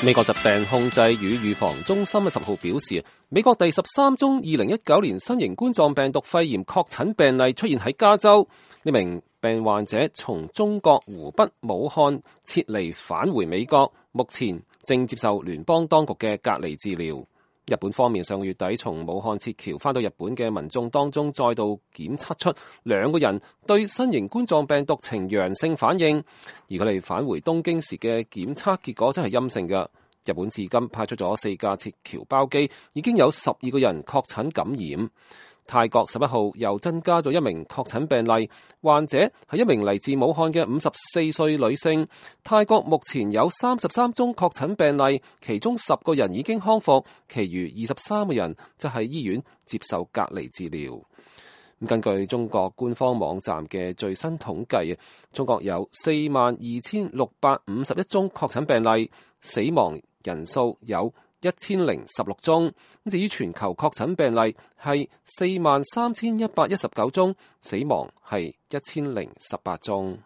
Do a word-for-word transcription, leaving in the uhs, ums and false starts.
美國疾病控制與預防中心十號表示，美國第十三宗二零一九年新型冠狀病毒肺炎確診病例出現喺加州。呢名病患者從中國湖北武漢撤離返回美國，目前正接受聯邦當局嘅隔離治療。日本方面上個月底從武漢撤僑返到日本嘅民眾當中，再度檢測出兩個人對新型冠狀病毒呈陽性反應，而佢哋返回東京時嘅檢測結果真係陰性嘅。日本至今派出咗四架撤僑包機，已經有十二個人確診感染。泰國十一號又增加咗一名確診病例，患者係一名嚟自武漢嘅五十四歲女性。泰國目前有三十三宗確診病例，其中十個人已經康復，其餘二十三個人就喺醫院接受隔離治療。根據中國官方網站嘅最新統計，中國有四萬二千六百五十一宗確診病例，死亡人數有一千零十六宗。至於全球確診病例係四萬三千一百一十九宗，死亡係一千零十八宗。